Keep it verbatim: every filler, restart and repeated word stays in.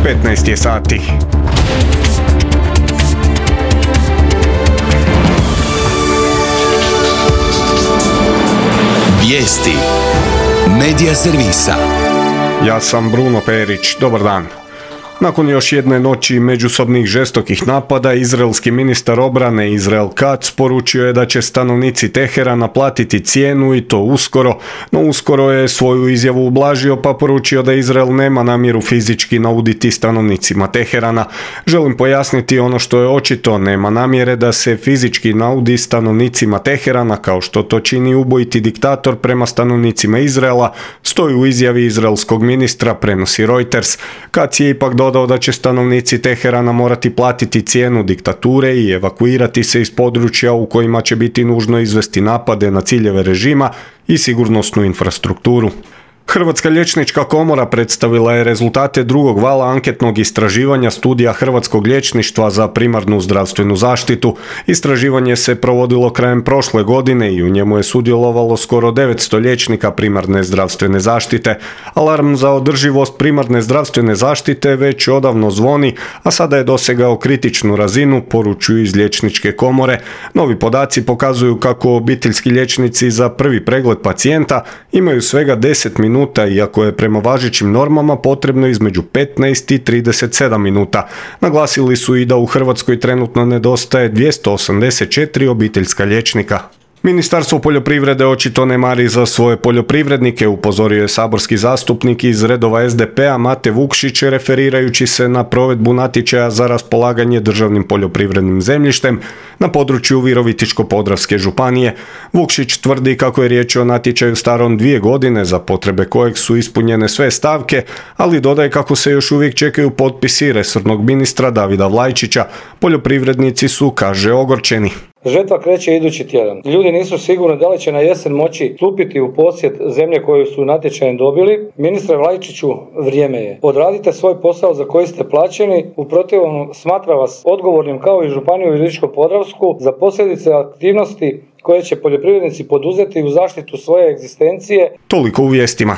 petnaest je sati. Vijesti Medija servisa. Ja sam Bruno Perić, dobar dan. Nakon još jedne noći međusobnih žestokih napada, izraelski ministar obrane Izrael Katz poručio je da će stanovnici Teherana platiti cijenu i to uskoro, no uskoro je svoju izjavu ublažio pa poručio da Izrael nema namjeru fizički nauditi stanovnicima Teherana. Želim pojasniti ono što je očito, nema namjere da se fizički naudi stanovnicima Teherana kao što to čini ubojiti diktator prema stanovnicima Izraela, stoji u izjavi izraelskog ministra, prenosi Reuters. Katz je ipak dodao da će stanovnici Teherana morati platiti cijenu diktature i evakuirati se iz područja u kojima će biti nužno izvesti napade na ciljeve režima i sigurnosnu infrastrukturu. Hrvatska liječnička komora predstavila je rezultate drugog vala anketnog istraživanja studija hrvatskog liječništva za primarnu zdravstvenu zaštitu. Istraživanje se provodilo krajem prošle godine i u njemu je sudjelovalo skoro devetsto liječnika primarne zdravstvene zaštite. Alarm za održivost primarne zdravstvene zaštite već odavno zvoni, a sada je dosegao kritičnu razinu, poručuju iz liječničke komore. Novi podaci pokazuju kako obiteljski liječnici za prvi pregled pacijenta imaju svega deset minuta, iako je prema važećim normama potrebno između petnaest i trideset sedam minuta. Naglasili su i da u Hrvatskoj trenutno nedostaje dvjesto osamdeset četiri obiteljska liječnika. Ministarstvo poljoprivrede očito ne mari za svoje poljoprivrednike, upozorio je saborski zastupnik iz redova es de pe-a Mate Vukšić referirajući se na provedbu natječaja za raspolaganje državnim poljoprivrednim zemljištem na području Virovitičko-podravske županije. Vukšić tvrdi kako je riječ o natječaju starom dvije godine za potrebe kojeg su ispunjene sve stavke, ali dodaje kako se još uvijek čekaju potpisi resornog ministra Davida Vlajčića. Poljoprivrednici su, kaže, ogorčeni. Žetva kreće idući tjedan. Ljudi nisu sigurni da li će na jesen moći stupiti u posjed zemlje koju su natječajem dobili. Ministre Vlajčiću, vrijeme je. Odradite svoj posao za koji ste plaćeni, u protivnom smatra vas odgovornim kao i županiju Virovitičko-podravsku za posljedice aktivnosti koje će poljoprivrednici poduzeti u zaštitu svoje egzistencije. Toliko u vijestima.